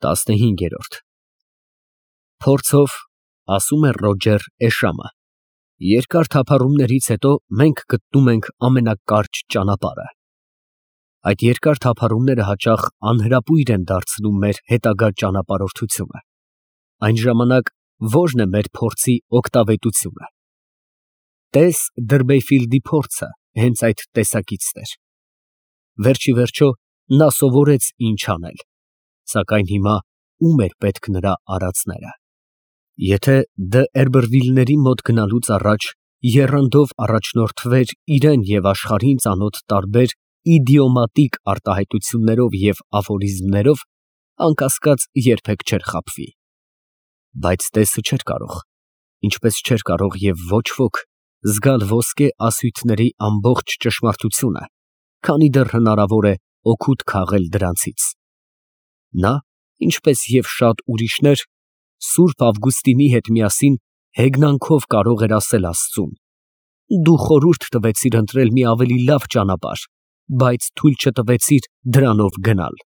15-րդ Փորձով, ասում է Ռոջեր Էշամը, երկար թափառումներից հետո մենք գտնում ենք ամենակարճ ճանապարհը։ Այդ երկար թափառումները հաճախ անհրապույր են դարձնում մեր հետագա ճանապարհորդությունը։ Այն ժամանակ ո՞րն է մեր փորձի օգտավետությունը։ Տես Դրբեյֆիլդի փորձը հենց այդ տեսակիցն էր։ Վերջիվերջո նա սովորեց ինչ անել, սակայն հիմա ո՞ւմ էր պետք նրա արածները։ Եթե Դը Էրբերվիլների մոտ գնալուց առաջ եռանդով առաջնորդվեր իրեն և աշխարհին ծանոթ տարբեր իդիոմատիկ արտահայտություններով և աֆորիզմներով, անկասկած երբեք չէր խաբվի։ Բայց Տեսը չէր կարող, ինչպես չէր կարող և ոչ ոք, զգալ ոսկե ասույթների ամբողջ ճշմարտությունը, քանի դեռ հնարավոր է օգուտ քաղել դրանցից։ Նա, ինչպես և շատ ուրիշներ, Սուրբ Ավգուստինի հետ միասին հեգնանքով կարող էր ասել Աստծուն. «Դու խորհուրդ տվեցիր ընտրել մի ավելի լավ ճանապարհ, բայց թույլ չտվեցիր դրանով գնալ»։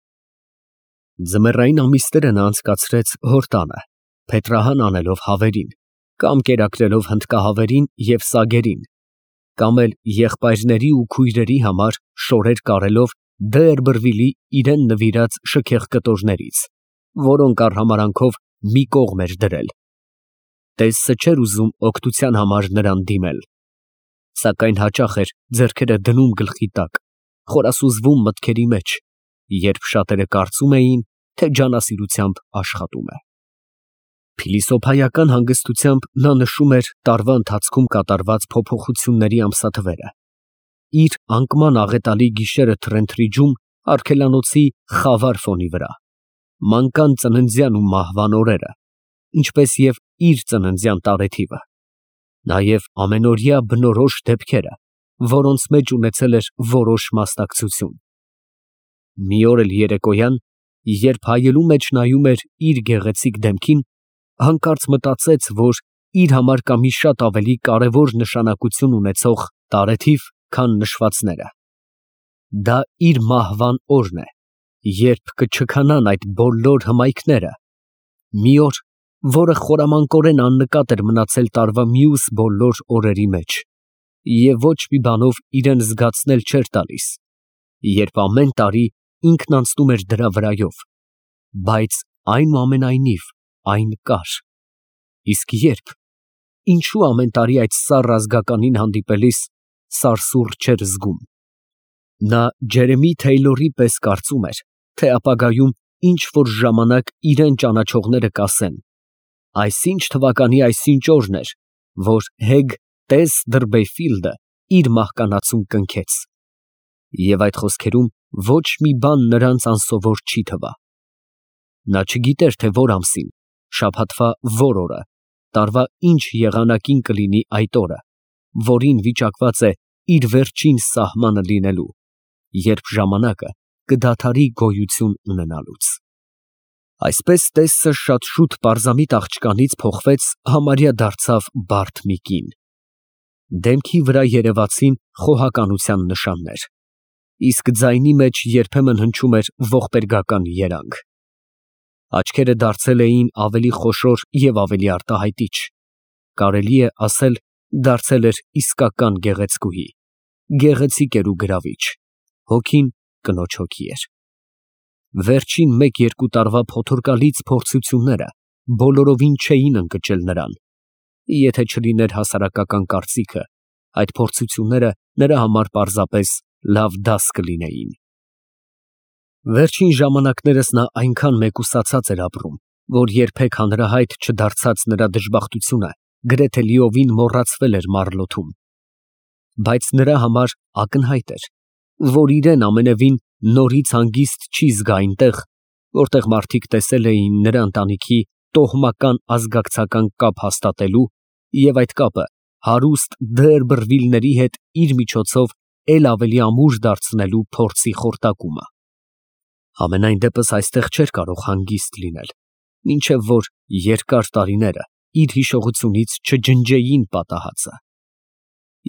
Ձմեռային ամիսները նա անցկացրեց հոր տանը, փետրահան անելով հավերին, կամ կերակրելով հնդկահավերին և սագերին, կամ էլ եղբայրների ու քույրերի համար շորեր կարելով Դը Էրբերվիլի իրան նվիրած շքեղ կտորներից, որոնք արհամարհանքով մի կողմ էր դրել։ Տեսը չէր ուզում օգնության համար նրան դիմել, սակայն հաճախ էր ձեռքերը դնում գլխի տակ, խորասուզվում մտքերի մեջ, երբ շատերը կարծում էին, թե ջանասիրությամբ աշխատում է։ Փիլիսոփայական հանգստությամբ նա նշում էր տարվա ընթացքում կատարված փոփոխությունների ամսաթվերը, իր անկման աղետալի գիշերը թրենթրիջում արգելանոցի խավար ֆոնի վրա, մանկան ծննդյան ու մահվան օրերը, ինչպես և իր ծննդյան տարեթիվը, նաև ամենօրյա բնորոշ դեպքերը, որոնց մեջ ունեցել էր որոշ մասնակցություն։ Մի օր էլ երեկոյան, երբ հայելու մեջ նայում էր իր գեղեցիկ դեմքին, հանկարծ մտածեց, որ իր համար կա մի շատ ավելի կարևոր նշանակություն ունեցող տարեթիվ, քան նշվածները։ Դա իր մահվան օրն է, երբ կչքանան այդ բոլոր հմայքները, մի օր, որը խորամանկորեն աննկատ էր մնացել տարվա մյուս բոլոր օրերի մեջ, և ոչ մի բանով իրան զգացնել չէր տալիս, երբ ամեն տարի ինքն անցնում էր դրա վրայով, բայց այնուամենայնիվ այն կար։ Իսկ երբ, ինչու ամեն տարի այդ սառ ազգականին հանդիպելիս սարսուռ չէր զգում։ Նա Ջերեմի Թեյլորի պես կարծում էր, թե ապագայում ինչ֊որ ժամանակ իրան ճանաչողները կասեն. այսինչ թվականի այսինչ օրն էր, որ Հեգ Տես Դրբեյֆիլդը իր մահկանացուն կնքեց։ Եվ այդ խոսքերում ոչ մի բան նրանց անսովոր չի թվա։ Նա չգիտեր, թե որ ամսին, շաբաթվա որ օրը, տարվա ինչ եղանակին կլինի այդ օրը, որին վիճակված է իր վերջին սահմանը լինելու, երբ ժամանակը կդադարի գոյություն ունենալուց։ Այսպես Տեսը շատ շուտ պարզամիտ աղջկանից փոխվեց համարյա դարձավ բարդ մի կին։ Դեմքի վրա երևացին խոհականության նշաններ, իսկ ձայնի մեջ երբեմն հնչում էր ողբերգական երանգ։ Աչքերը դարձել էին ավելի խոշոր և ավելի արտահայտիչ, կարելի է ասել, դարձել էր իսկական գեղեցկուհի, գեղեցիկ էր ու գրավիչ, հոգին կնոջ հոգի էր։ Վերջին մեկ֊երկու տարվա փոթորկալից փորձությունները բոլորովին չէին ընկճել նրան, եթե չլիներ հասարակական կարծիքը, այդ փորձությունները նրա համար պարզապես լավ դաս կլինեին։ Վերջին ժամանակներս նա այնքան մեկուսացած էր ապրում, որ երբեք հանրահայտ չդարձած նրա դժբախտությունը գրեթե լիովին մոռացվել էր Մարլոթում։ Բայց նրա համար ակնհայտ էր, որ իրան ամենևին նորից հանգիստ չի զգա այնտեղ, որտեղ մարդիկ տեսել էին նրա ընտանիքի տոհմական ազգակցական կապ հաստատելու և այդ կապը հարուստ Դը Էրբերվիլների հետ իր միջոցով էլ ավելի ամուր դարձնելու փորձի խորտակումը։ Համենայն դեպս այստեղ չէր կարող հանգիստ լինել, մինչև որ երկար տարիները իր հիշողությունից չջնջեին պատահածը։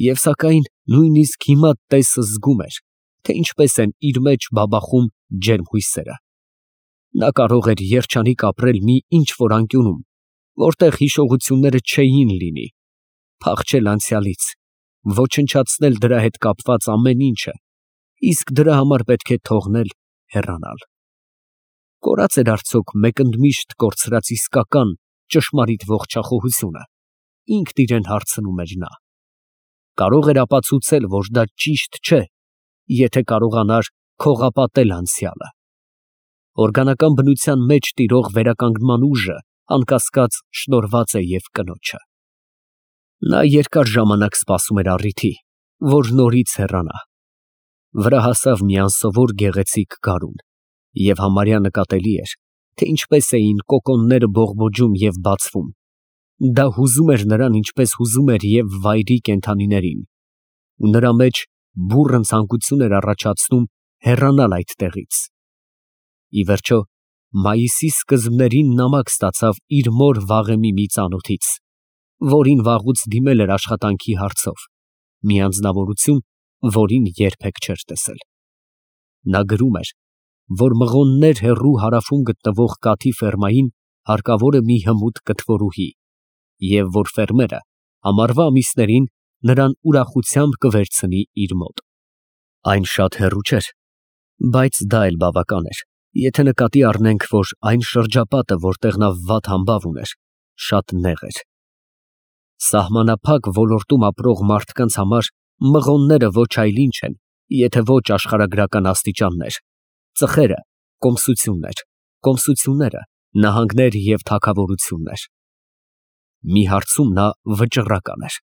Եվ սակայն նույնիսկ հիմա Տեսը զգում էր, թե ինչպես են իր մեջ բաբախում ջերմ հույսերը։ Նա կարող էր երջանիկ ապրել մի ինչ-որ անկյունում, որտեղ հիշողությունները չէին լինի, փախչել անցյալից, ոչնչացնել դրա հետ կապված ամեն ինչը, իսկ դրա համար պետք է թողնել հեռանալ։ Կորած էր արդյոք մեկընդմիշտ կորցրած իսկական ճշմարիտ ողջախոհությունը, ինքն իրեն հարցնում էր նա։ Կարող էր ապացուցել, որ դա ճիշտ չէ, եթե կարողանար քողապատել անցյալը։ Օրգանական բնության մեջ տիրող վերականգնման ուժը անկասկած շնորհված է և կնոջը։ Նա երկար ժամանակ սպասում էր առիթի, որ նորից հեռանա։ Վրա հասավ մի անսովոր գեղեցիկ գարուն, և համարյա նկատելի էր, թե ինչպես էին կոկոնները բողբոջում և բացվում։ Դա հուզում էր նրան, ինչպես հուզում էր և վայրի կենդանիներին, ու նրա մեջ բուռն ցանկություն էր առաջացնում հեռանալ այդ տեղից։ Ի վերջո, մայիսի սկզբներին նամակ ստացավ իր մոր վաղեմի մի ծանոթից, որին վաղուց դիմել էր աշխատանքի հարցով, մի անձնավորություն, որին երբեք չէր տեսել։ Նա գրում էր, որ Մղոններ հեռու հարավում գտնվող կաթի ֆերմային հարկավոր է մի հմուտ կթվորուհի, և որ ֆերմերը ամառվա ամիսներին նրան ուրախությամբ կվերցնի իր մոտ։ Այն շատ հեռու չէր, բայց դա էլ բավական էր, եթե նկատի առնենք, որ այն շրջապատը, որտեղ նա վատ համբավ ուներ, շատ նեղ էր։ Սահմանափակ ոլորտում ապրող մարդկանց համար մղոնները ոչ այլ ինչ են, եթե ոչ աշխարհագրական աստիճաններ, ծխերը կոմսություններ, կոմսությունները նահանգներ և թագավորություններ։ Մի հարցում նա վճռական էր։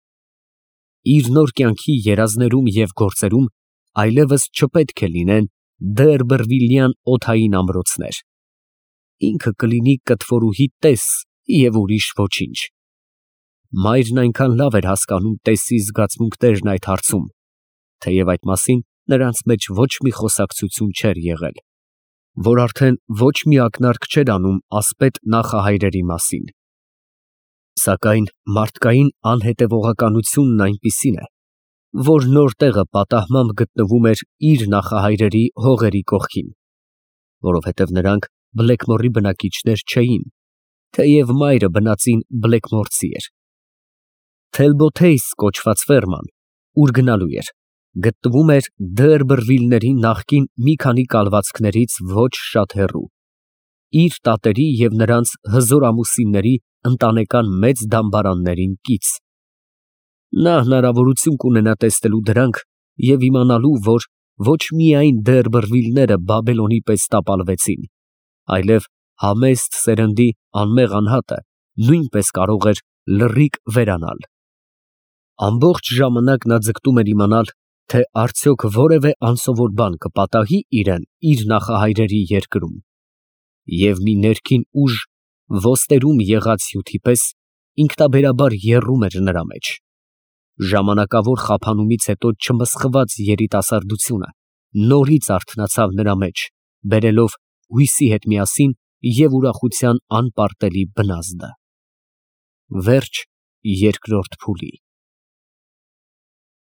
Իր նոր կյանքի երազներում և գործերում այլևս չպետք է լինեն դերբերվիլյան օդային ամրոցներ։ Ինքը կլինի կտվորուհի տես և ուրիշ ոչինչ։ Մայրն այնքան լավ էր հասկանում տեսի զգացմունքներն այդ հարցում, թեև այդ մասին նրանց մեջ ոչ մի խոսակցություն չէր եղել, որ արդեն ոչ մի ակնարկ չէր անում ասպետ նախահայրերի մասին։ Սակայն մարդկային անհետևողականությունն այնպիսին է, որ նոր տեղը պատահմամբ գտնվում էր իր նախահայրերի հողերի կողքին, որովհետև նրանք Բլեքմորի բնակիչներ չէին, թեև մայրը բնածին բլեքմորցի էր։ Թելբոթեյս կոչված ֆերման, ուր գնալու էր, գտնվում էր Դերբերվիլների նախկին մի քանի կալվածքներից ոչ շատ հեռու, իր տատերի և նրանց հզոր ամուսինների ընտանեկան մեծ դամբարաններին կից։ Նա հնարավորություն կունենա տեսնելու դրանք և իմանալու, որ ոչ միայն Դերբերվիլները Բաբելոնի պես տապալվեցին, այլև համեստ սերնդի անմեղ անհատը նույնպես կարող էր լռիկ վերանալ։ Ամբողջ ժամանակ նա ձգտում էր իմանալ, թե արդյոք որևէ անսովոր բան կպատահի իրան իր նախահայրերի երկրում, և մի ներքին ուժ ոստերում եղած հյութի պես ինքնաբերաբար եռում էր նրա մեջ։ Ժամանակավոր խափանումից հետո չմսխված երիտասարդությունը նորից արթնացավ նրա մեջ, բերելով հույսի հետ միասին և ուրախության անպարտելի բնազդը։ Վերջ երկրորդ փուլի։